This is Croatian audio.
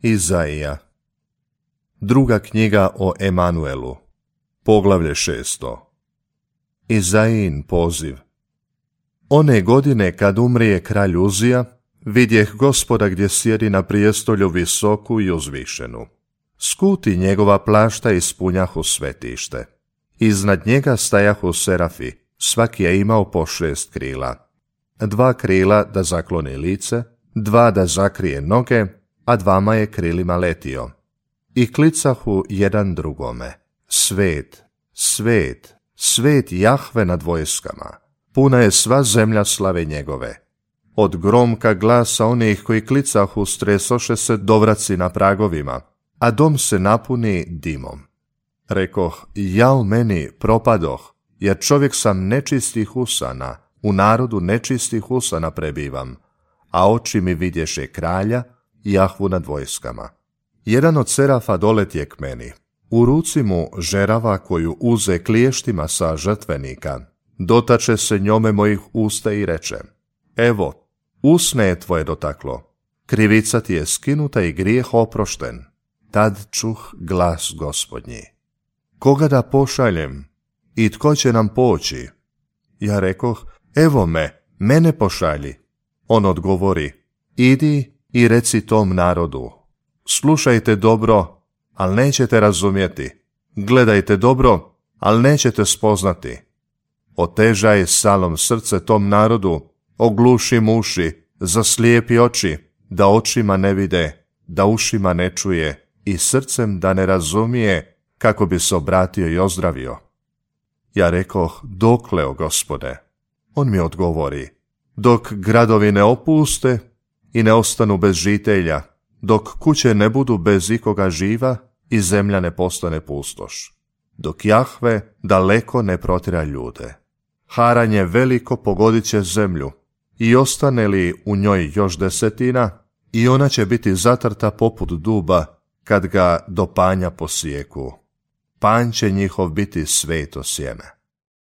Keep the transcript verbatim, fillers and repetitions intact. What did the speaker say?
Izaija. Druga knjiga o Emanuelu. Poglavlje šesto. Izaijin poziv. One godine kad umrije kralj Uzija, vidjeh Gospoda gdje sjedi na prijestolju visoku i uzvišenu. Skuti njegova plašta ispunjahu svetište. Iznad njega stajahu serafi, svaki je imao po šest krila. Dva krila da zakloni lice, dva da zakrije noge, a dvama je krilima letio. I klicahu jedan drugome: Svet, svet, svet Jahve nad vojskama, puna je sva zemlja slave njegove. Od gromka glasa onih koji klicahu stresoše se dovraci na pragovima, a dom se napuni dimom. Rekoh, jao meni, propadoh, jer čovjek sam nečistih usana, u narodu nečistih usana prebivam, a oči mi vidješe kralja, Jahvu nad vojskama. Jedan od serafa doletje k meni, u ruci mu žerava koju uze kliještima sa žrtvenika, dotače se njome mojih usta i reče: Evo, usne je tvoje dotaklo, krivica ti je skinuta i grijeh oprošten. Tad čuh glas Gospodnji: Koga da pošaljem i tko će nam poći? Ja rekoh: Evo me, mene pošalji. On odgovori: Idi i reci tom narodu: Slušajte dobro, ali nećete razumjeti. Gledajte dobro, ali nećete spoznati. Otežaj salom srce tom narodu, ogluši uši, zaslijepi oči, da očima ne vide, da ušima ne čuje i srcem da ne razumije, kako bi se obratio i ozdravio. Ja rekoh: Dokle, o Gospode? On mi odgovori: Dok gradovi ne opuste i ne ostanu bez žitelja, dok kuće ne budu bez ikoga živa i zemlja ne postane pustoš, dok Jahve daleko ne protjera ljude. Haranje veliko pogodit će zemlju, i ostane li u njoj još desetina, i ona će biti zatrta poput duba kad ga do panja posijeku. Panj će njihov biti sveto sjeme.